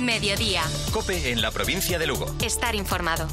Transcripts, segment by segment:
Mediodía. COPE en la provincia de Lugo. Estar informado.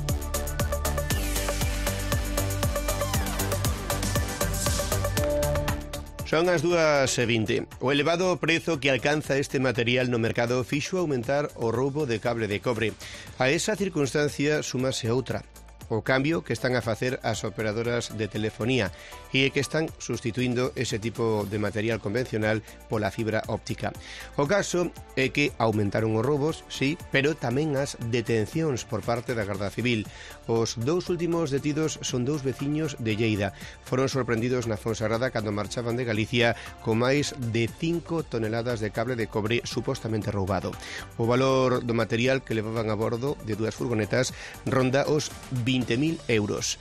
Son as 2:20. O elevado prezo que alcanza este material no mercado fixo aumentar o roubo de cable de cobre. A esa circunstancia súmase outra. O cambio que están a facer as operadoras de telefonía e que están sustituindo ese tipo de material convencional pola fibra óptica. O caso é que aumentaron os roubos, sí, pero tamén as detencións por parte da Garda Civil. Os dous últimos detidos son dous veciños de Lleida. Foron sorprendidos na Fonsagrada cando marchaban de Galicia con máis de 5 toneladas de cable de cobre supostamente roubado. O valor do material que levaban a bordo de dúas furgonetas ronda os 20.000 euros.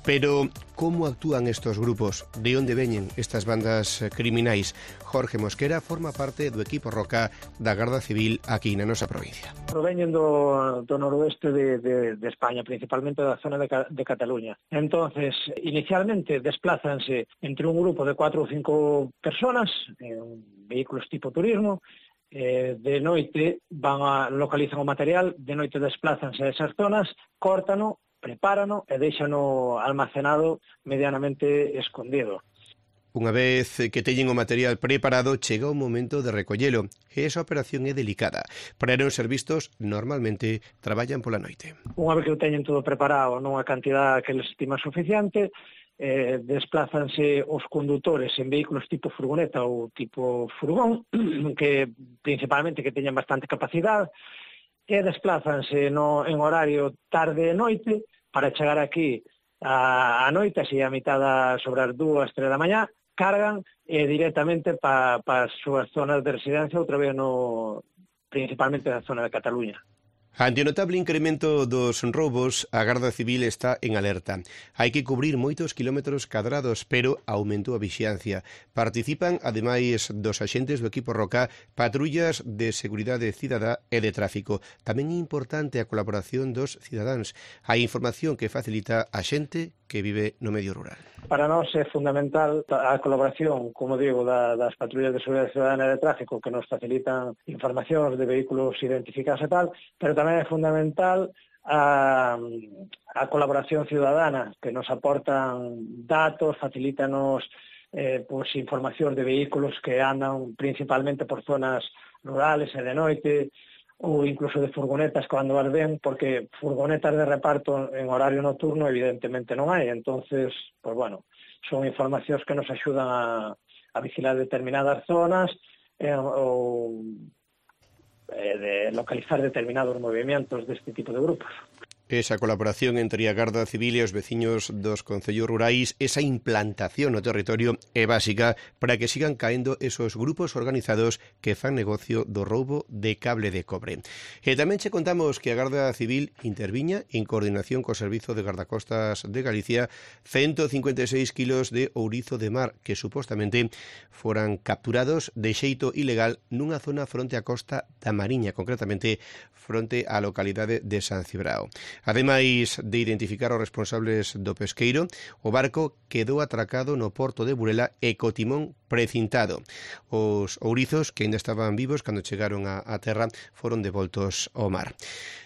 Pero como actúan estos grupos? De onde veñen estas bandas criminais? Jorge Mosquera forma parte do equipo Roca da Garda Civil aquí na nosa provincia. Proveñen do noroeste de España, principalmente da zona de Cataluña. Entonces, inicialmente desplázanse entre un grupo de 4 ou 5 personas en vehículos tipo turismo. De noite localizan o material, de noite desplázanse a esas zonas, córtano, prepárano e déixano almacenado medianamente escondido. Unha vez que teñen o material preparado, chega o momento de recollelo. E esa operación é delicada. Para non ser vistos, normalmente traballan pola noite. Unha vez que o teñen todo preparado nunha cantidad que les estima suficiente, desplázanse os condutores en vehículos tipo furgoneta ou tipo furgón, que principalmente que teñan bastante capacidade, e desplázanse en horario tarde e noite para chegar aquí a noite, así a mitad sobre as 2, 3 da mañá, cargan directamente para as súas zonas de residencia, outra vez principalmente na zona de Cataluña. Ante o notable incremento dos roubos, a Garda Civil está en alerta. Hai que cubrir moitos kilómetros cadrados, pero aumentou a vixiancia. Participan, ademais dos axentes do equipo Roca, patrullas de seguridade cidadá e de tráfico. Tamén é importante a colaboración dos cidadáns. Hai información que facilita a xente que vive no medio rural. Para nós é fundamental a colaboración, como digo, das patrullas de seguridade cidadana e de tráfico que nos facilitan informacións de vehículos identificados e tal, pero tamén é fundamental a colaboración ciudadana, que nos aportan datos, facilítanos informacións de vehículos que andan principalmente por zonas rurales e de noite, ou incluso de furgonetas cando as ven, porque furgonetas de reparto en horario nocturno evidentemente non hai, entonces, pues bueno, son informacións que nos axudan a vigilar determinadas zonas ou de localizar determinados movimentos deste tipo de grupos. Esa colaboración entre a Garda Civil e os veciños dos concellos rurais, esa implantación no territorio é básica para que sigan caendo esos grupos organizados que fan negocio do roubo de cable de cobre. E tamén che contamos que a Garda Civil interviña en coordinación co Servizo de Gardacostas de Galicia 156 kilos de ourizo de mar que supostamente foran capturados de xeito ilegal nunha zona fronte á costa da Mariña, concretamente fronte á localidade de San Cibrao. Ademais de identificar os responsables do pesqueiro, o barco quedou atracado no porto de Burela e co timón precintado. Os ourizos, que ainda estaban vivos cando chegaron á terra, foron devoltos ao mar.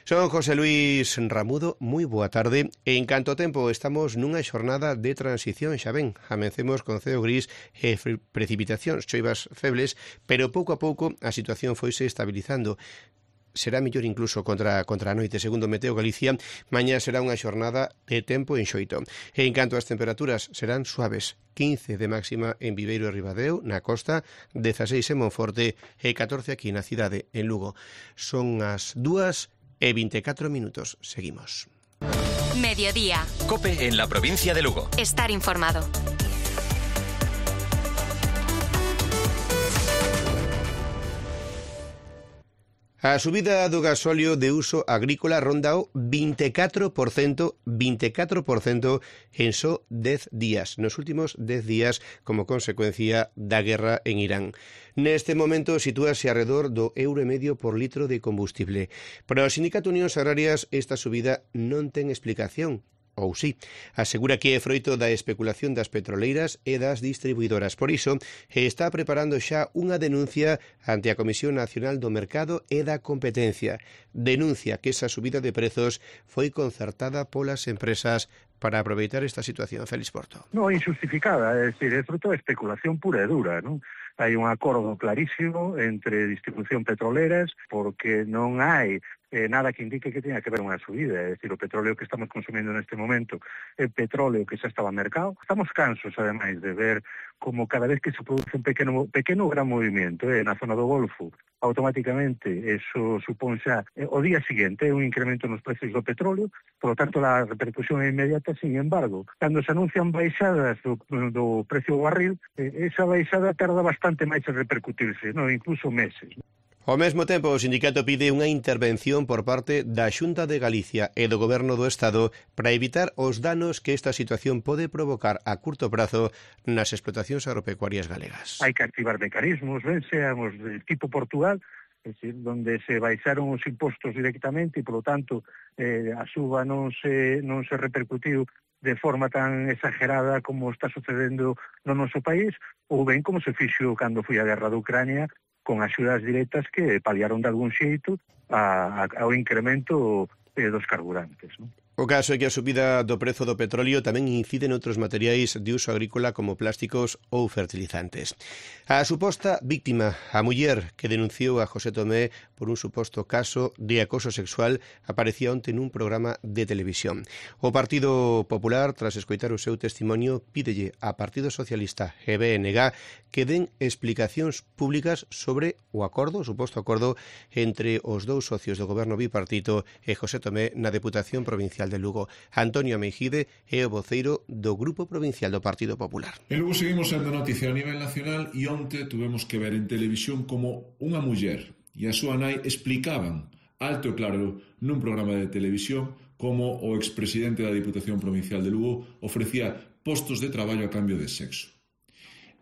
Son José Luis Ramudo, moi boa tarde. En canto ao tempo, estamos nunha xornada de transición, xa ben, amencemos con ceo gris e precipitacións, choivas febles, pero pouco a pouco a situación foise estabilizando. Será mellor incluso contra a noite, segundo Meteo Galicia. Mañá será unha xornada de tempo enxoito. E en canto ás temperaturas, serán suaves. 15 de máxima en Viveiro e Ribadeo, na costa, 16 en Monforte e 14 aquí na cidade, en Lugo. Son as 2:24. Seguimos. Mediodía. COPE en la provincia de Lugo. Estar informado. A subida do gasóleo de uso agrícola ronda o 24% en só 10 días, nos últimos 10 días como consecuencia da guerra en Irán. Neste momento sitúase arredor do €1,5 por litro de combustible. Para o Sindicato Unións Agrarias esta subida non ten explicación. ou sí. Asegura que é froito da especulación das petroleiras e das distribuidoras. Por iso, está preparando xa unha denuncia ante a Comisión Nacional do Mercado e da Competencia. Denuncia que esa subida de prezos foi concertada polas empresas para aproveitar esta situación. Félix Porto. Non, injustificada, é dicir, é fruto de especulación pura e dura, non? Hai un acordo clarísimo entre distribución petroleras porque non hai nada que indique que tenha que ver unha subida, é dicir, o petróleo que estamos consumindo neste momento é petróleo que xa estaba no mercado. Estamos cansos, ademais, de ver como cada vez que se produce un pequeno gran movimento na zona do Golfo, automáticamente eso supón xa o día seguinte un incremento nos precios do petróleo, por lo tanto a repercusión é inmediata. Sin embargo, cando se anuncian baixadas do precio do barril, esa baixada tarda bastante máis en repercutirse, incluso meses. Ao mesmo tempo, o sindicato pide unha intervención por parte da Xunta de Galicia e do Goberno do Estado para evitar os danos que esta situación pode provocar a curto prazo nas explotacións agropecuarias galegas. Hai que activar mecanismos, sean os de tipo Portugal, é dicir, donde se baixaron os impostos directamente e, polo tanto, a suba non se repercutiu de forma tan exagerada como está sucedendo no noso país, ou ben como se fixo cando foi a guerra de Ucrania, con axudas directas que paliaron de algún xeito ao incremento dos carburantes, non? O caso é que a subida do prezo do petróleo tamén incide en outros materiais de uso agrícola como plásticos ou fertilizantes. A suposta víctima, a muller que denunciou a José Tomé por un suposto caso de acoso sexual, aparecía onte nun programa de televisión. O Partido Popular, tras escoitar o seu testimonio, pídelle a Partido Socialista e BNG que den explicacións públicas sobre o suposto acordo entre os dous socios do goberno bipartito e José Tomé na Deputación Provincial de Lugo. Antonio Meijide é o voceiro do Grupo Provincial do Partido Popular. E logo seguimos sendo noticia a nivel nacional e onte tuvemos que ver en televisión como unha muller e a súa nai explicaban alto e claro nun programa de televisión como o expresidente da Diputación Provincial de Lugo ofrecía postos de traballo a cambio de sexo.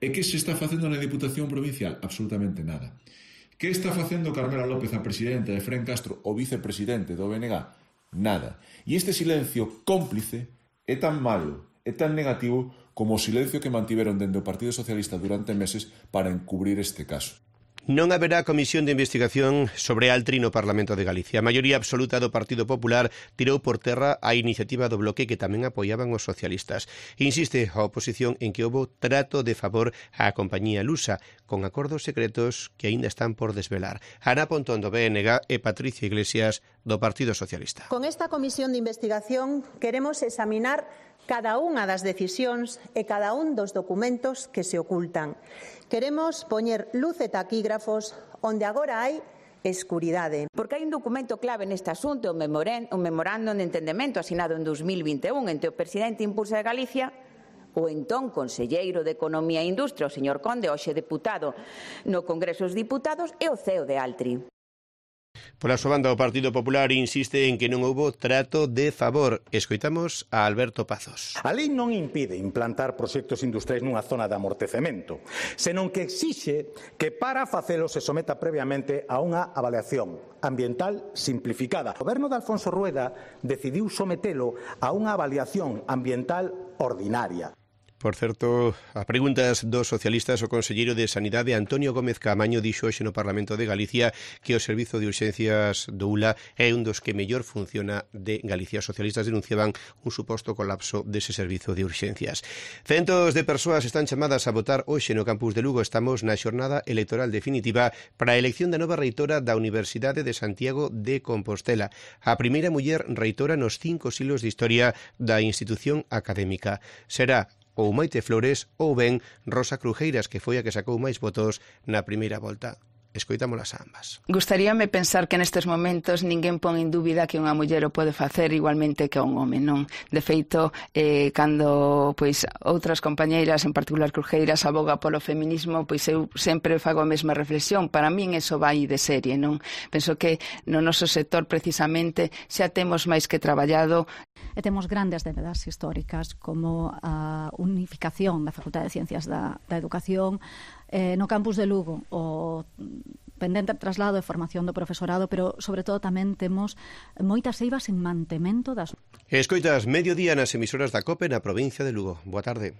E que se está facendo na Diputación Provincial? Absolutamente nada. Que está facendo Carmela López, a presidenta, e Fren Castro, o vicepresidente do BNG? Nada. E este silencio cómplice é tan malo, é tan negativo como o silencio que mantiveron dende o Partido Socialista durante meses para encubrir este caso. Non haberá comisión de investigación sobre Altri no Parlamento de Galicia. A maioría absoluta do Partido Popular tirou por terra a iniciativa do bloque que tamén apoiaban os socialistas. Insiste a oposición en que houbo trato de favor á compañía lusa, con acordos secretos que aínda están por desvelar. Ana Pontón do BNG e Patricia Iglesias do Partido Socialista. Con esta comisión de investigación queremos examinar cada unha das decisións e cada un dos documentos que se ocultan. Queremos poñer luz e taquígrafos onde agora hai escuridade. Porque hai un documento clave neste asunto, un memorando de entendemento asinado en 2021 entre o presidente Impulsa de Galicia, o entón conselleiro de Economía e Industria, o señor Conde, hoxe deputado no Congreso dos Diputados, e o CEO de Altri. Pola súa banda, o Partido Popular insiste en que non houbo trato de favor. Escoitamos a Alberto Pazos. A lei non impide implantar proxectos industriais nunha zona de amortecemento, senón que exixe que para facelo se someta previamente a unha avaliación ambiental simplificada. O goberno de Alfonso Rueda decidiu sometelo a unha avaliación ambiental ordinaria. Por certo, a preguntas dos socialistas, o conselleiro de Sanidade Antonio Gómez Caamaño dixo hoxe no Parlamento de Galicia que o servizo de urxencias do ULA é un dos que mellor funciona de Galicia. Os socialistas denunciaban un suposto colapso dese servizo de urxencias. Centos de persoas están chamadas a votar hoxe no campus de Lugo. Estamos na xornada electoral definitiva para a elección da nova reitora da Universidade de Santiago de Compostela, a primeira muller reitora nos 5 siglos de historia da institución académica. Será ou Maite Flores ou ben Rosa Crujeiras, que foi a que sacou máis votos na primeira volta. Escoitámolas a ambas. Gustaríame pensar que nestes momentos ninguén pon en dúbida que unha muller o pode facer igualmente que un home, non? De feito, cando outras compañeiras, en particular Crujeiras, aboga polo feminismo, pois eu sempre fago a mesma reflexión. Para min eso vai de serie, non? Penso que no noso sector precisamente xa temos máis que traballado. E temos grandes debedas históricas como a unificación da Facultade de Ciencias da Educación. No campus de Lugo, o pendente traslado e formación do profesorado, pero sobre todo tamén temos moitas eivas en mantemento das... Escoitas Mediodía nas emisoras da COPE na provincia de Lugo. Boa tarde.